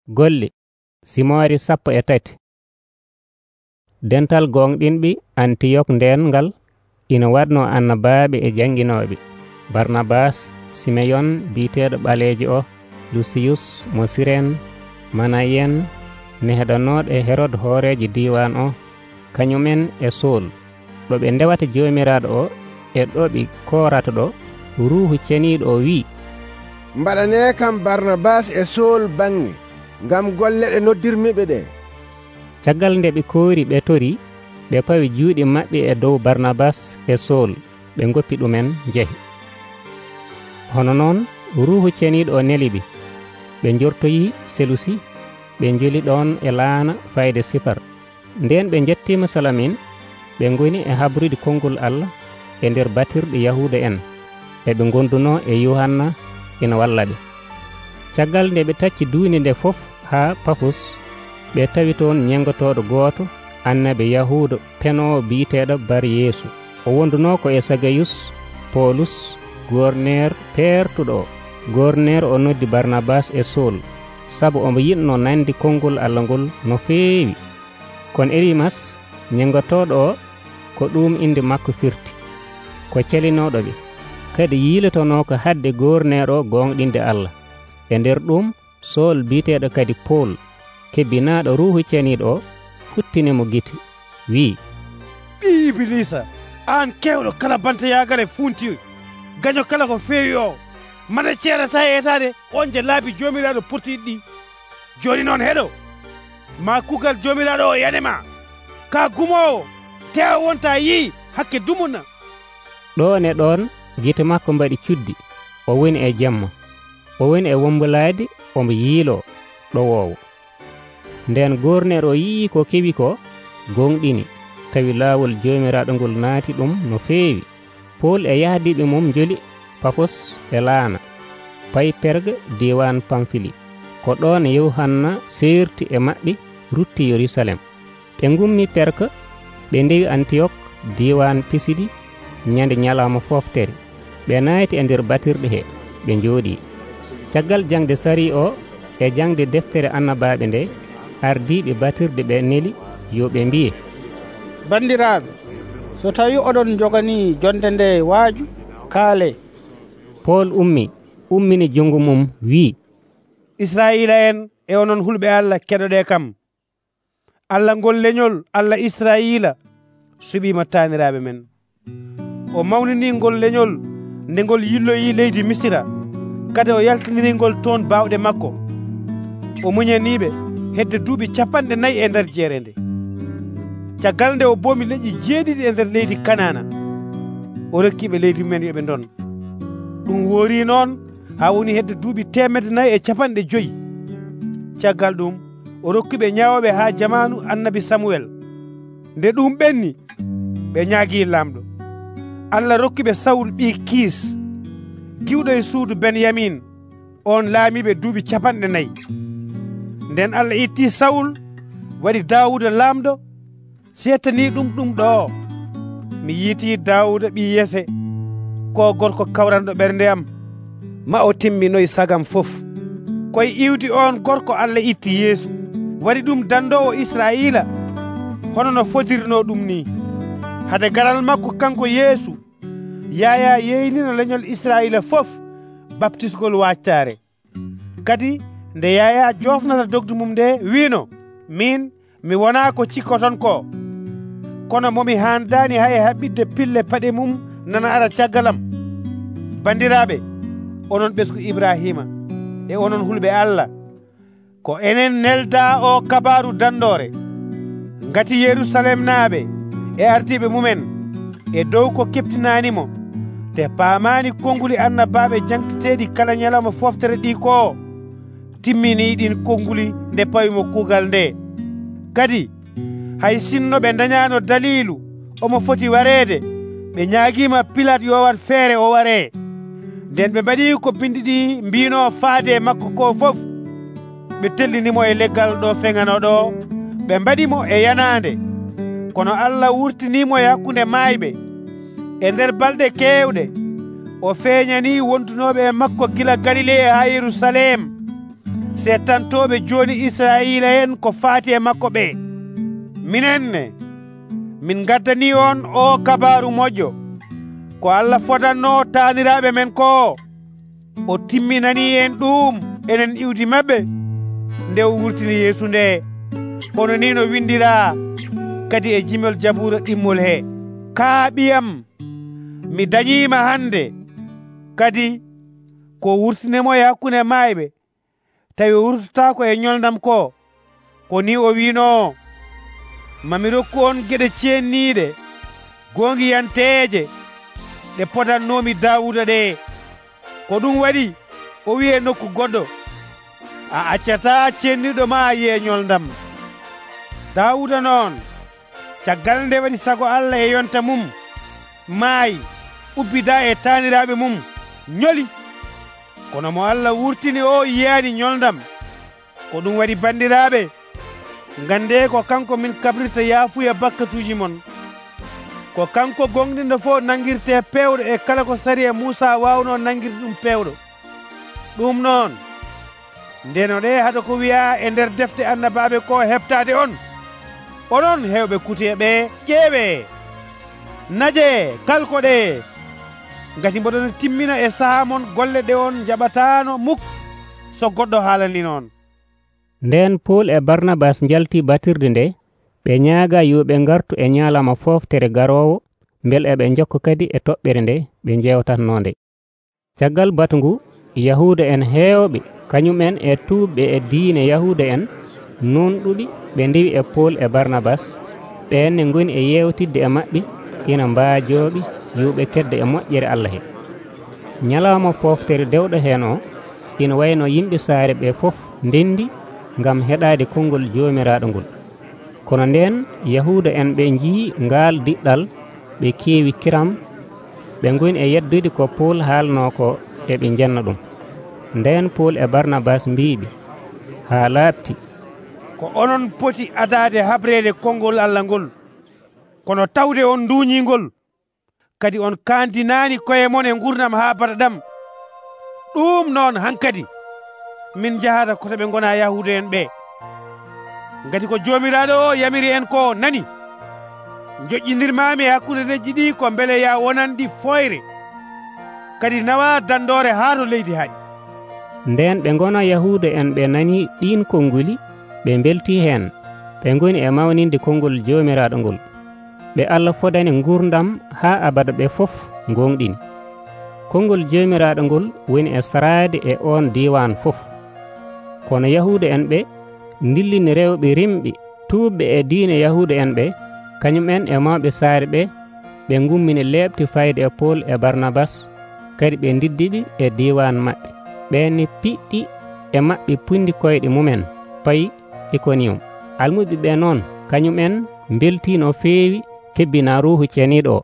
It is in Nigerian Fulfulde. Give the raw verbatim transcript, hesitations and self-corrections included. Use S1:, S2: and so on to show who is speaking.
S1: Golle Simoori sappo e tati. Dental gonɗinɓe Antiyok nden ngal ina waɗno annabaaɓe e janginooɓe: Barnabas, Simeyon biiteeɗo ɓaleejo o, Lusiyus mo Siren, Manayen neheɗanooɗo e Herod hoorejo diiwan o, kañumen e Sool. Ɗo ɓe ndewata Joomiraaɗo o e ɗo ɓe koorata ɗo, Ruuhu Ceniiɗo o wi'i,
S2: mbaɗanee kam Barnabas e Sool baŋnge ngam golle ɗe noddirmiɓe ɗe.
S1: Caggal nde ɓe koori ɓe tori, ɓe pawi juuɗe maɓɓe e dow Barnabas e Sool, ɓe ngoppi ɗumen njehi. Hono noon Ruuhu Ceniiɗo o neli ɓe, ɓe njortoyi Selusi, ɓe njoli ɗon e laana fayde Sipar. Nden ɓe jettima Salamin, ɓe ngoni e habrude konngol Allah e nder batirɗe Yahuuda en, e ɓe gonduno e Yuhanna ina walla ɓe. Caggal nde ɓe tacci duuni nde fof haa Pafos, ɓe tawi toon ñengotoɗo gooto annabi Yahuuda penoowo biiteeɗo Bar Yeesu. O wonduno ko e Sagayus Polus gorneer peertuɗo o. Gorneer o noddi Barnabas e Sool, sabu omo yiɗno nandi konngol Allah ngol no feewi. Kono Elimas ñengotoɗo o, ko ɗum inde makko firti, ko celinoɗo ɓe, kadi yiilotono ko hadde gorneer o gonɗinde Allah. E nder ɗum Sool biiteeɗo kadi Pol, kebbinaaɗo Ruuhu Ceniiɗo o, futtinimo gite, wi'i,
S3: ɓi Ibilisa, an kewɗo kala banta yaagare funti, gaño kala ko feewi o, mata ceerata etade on je laabi Joomiraaɗo pottiɗi ɗi. Joni noon heɗo, ma kugal Joomiraaɗo o yanema, ka gumowo, tewa wonta yii hakke dumuna.
S1: Ɗon e ɗon gite makko mbaɗi cuddi, o woni e jamma, o woni e wombulaade, omo yiilo ɗowoowo. Nden gorneer o yii ko kewi ko, gonɗini, tawi laawol Joomiraaɗo ngol naati ɗum no feewi. Pol e yahdiɓe mum njoli Pafos e laana, payi Perga diwan Pamfili. Ko ɗon Yuhanna seerti e maɓɓe rutti Yerusalem. Ɓe ngummi Perga, ɓe ndewi Antiyok diwan Pisidi ñande ñalawma foftere. Ɓe nayti e nder batirɗe he, ɓe njooɗi. Caggal jangde sari o e jangde deftere annabaaɓe nde, ardiiɓe batirɗe ɓe neli yo ɓe mbiye,
S4: bandiraaɓe, so tawi oɗon joganii jonde nde waaju, kaale.
S1: Pol ummi ummini jungo mum wi'i,
S3: Israila en e onon hulɓe Allah keɗoɗe kam, Allah ngol leñol Allah Israila suɓima taaniraaɓe men. O mawnini ngol leñol nde ngol yilloyi leydi Misira, kadi o yaltiniri ngol toon bawɗe makko. O muñaniɓe hedde duuɓi capanɗe nayyi e nder jeere nde. Caggal nde o boomi leƴƴi jeeɗiɗi e nder leydi Kanana, o rokkiɓe leydi men yoɓe ndon. Ɗum woori noon ha woni hedde duuɓi temedde nayyi e capanɗe joyyi. Caggal ɗum o rokkiɓe ñawoɓe ha jamanu annabi Samuel. Nde ɗum ɓenni, ɓe ñaagui lamɗo. Allah rokkiɓe Sawul ɓii Kiis, giwɗo e suudu Benyamin, on laamiɓe duuɓi capanɗe nayyi. Nden Allah itti Sawul waɗi Daawuda lamɗo. Seetani ɗum ɗum ɗo, mi yiiti Daawuda ɓii Yese, ko gorko kawranɗo ɓernde am, ma o timminoy sagam fof. Koye iwdi on gorko Allah itti Yeesu, waɗi ɗum dandowo Israila, hono no fodirno ɗum ni. Hade garal makko kanko Yeesu, Yaya yeynino leñol Israila fof baptisgol waccare. Kadi nde Yaya jofnata dogdu mum nde wiino, min mi wona ko cikkoton ko, kono momi handani hay haɓɓidde pille paɗe mum nana ara caggalam. Bandiraɓe, onon ɓesgu Ibrahima e onon hulɓe Allah, ko enen nelda o kabaru dandore. Ngati Yerusalem naaɓe e ardiɓe mumen e dow ko keptinanimo, te paamani konnguli annabaɓe jangteteɗi kala ñalawma foftere ɗi ko, timmini ɗin konnguli nde pawimo kuugal nde. Kadi hay sinno ɓe dañano dalilu omo foti wareede, ɓe ñaaguima Pilate yo wat feere o ware. Nden ɓe mbaɗi ko bindi ɗi mbino faade makko ko fof, ɓe tellinimo e leggal ɗo feŋanoɗo, ɓe mbaɗimo e yanande. Kono Allah wurtinimo e hakkunde maayɓe. E nder balɗe keewɗe o feeñani wondunoɓe e makko gila Galile ha Yerusalem. settantoɓe joni Israila en ko faati e makko ɓe. Minenne min gaddani on o kabaru moƴƴo ko Allah fodanno taaniraɓe men ko o timminani en ɗum enen iwdi mabɓe nde o wurtini Yeesu nde, hono ni no windira kadi e jimol Jabura ɗimmol he: ka ɓiyam mi dañima hande, kadi ko wurtinemo e hakkunde mayɓe tawi o wurtotako e ñolnam ko. Ko ni o wino, mami rokku on geɗe cenniɗe gongiyanteje ɗe podannomi Dawuda ɗe. Ko ɗum waɗi o wi e nokku goɗɗo, a accata cenniɗo ma yiye ñolndam. Dawuda noon, caggal nde waɗi sago Allah e yonta mum, maayi, ubbida e taaniraɓe mum, ñoli. Kono mo Allah wurtini o yiyani ñolndam. Ko ɗum waɗi bandiraɓe, gande ko kanko min kabrirta yaafuya bakkatuji mon, ko kanko gonɗinɗo fof nangirte pewɗo e kala ko sari e Musa wawno nangirde ɗum pewɗo. ɗum noon ndeno ɗe haɗa ko wiya e nder defte annabaɓe ko heɓtade on, onon hewɓe kuteɓe ƴeewe, naje kalkoɗe, gati mboɗon timmina e saaha mon golle ɗe on jaɓatano muk so goɗɗo haalani noon.
S1: Nden Pol e Barnabas jalti batirde nde, ɓe ñaaga yo ɓe gartu e ñalama foftere garowo, bel eɓe jokka kadi e toɓɓere nde ɓe jewtatnonde. Caggal batu ngu, Yahuda en heewɓe kañumen e tuubɓe e diine Yahuda en nonɗuɓi ɓe ndewi e Pol e Barnabas, ɓenne goni e yewtidde e maɓɓe ina mbaajoɓe yo ɓe kedda e moƴƴere Allah he. Ñalawma foftere dewɗo hen o ina wayno yimɓe saare ɓe fof ndendi ngam heɗade konngol jomiraɗo ngol. Kono nden Yahuda en ɓe jii ngal diɗɗal, ɓe keewi kiram, ɓe goni e yeddude ko Pol haalno ko e ɓe jenna ɗum. Nden Pol e Barnabas mbiɓe, ha laaɓti,
S3: ko onon poti adade habrede konngol Allah ngol, kono tawde on duuñingol, kadi on kandinani koye mon e gurdam ha bataɗam. ɗum noon hankadi min jahata koto ɓe gona Yahuda en ɓe, gati ko jomiraɗo o yamiri en ko nani. Joƴƴinirmami e hakkude leydi ɗi ko beele ya wonanɗi foyre, kadi nawa dandore ha to leydi haaƴi.
S1: Nden ɓe gona Yahuda en ɓe nani ɗin konnguli, ɓe belti hen, ɓe goni e mawninde konngol jomiraɗo ngol. ɓe Allah fodani gurdam ha abada ɓe fof gonɗini. Konngol jomiraɗo ngol woni e sarade e on diwan fof. Kono Yahuda en ɓe dillini rewɓe rimɓe tuubɓe e diine Yahuda en ɓe, kañumen e mawɓe saare ɓe, ɓe gummini leɓti fayde e Pol e Barnabas, kadi ɓe diddiɓe e diwan maɓɓe. ɓenne piɗɗi e maɓɓe pundi koyɗe mumen payi Iconium. Almuɓe ɓe noon kañumen belti no feewi kebbina ruuhu ceniɗo o.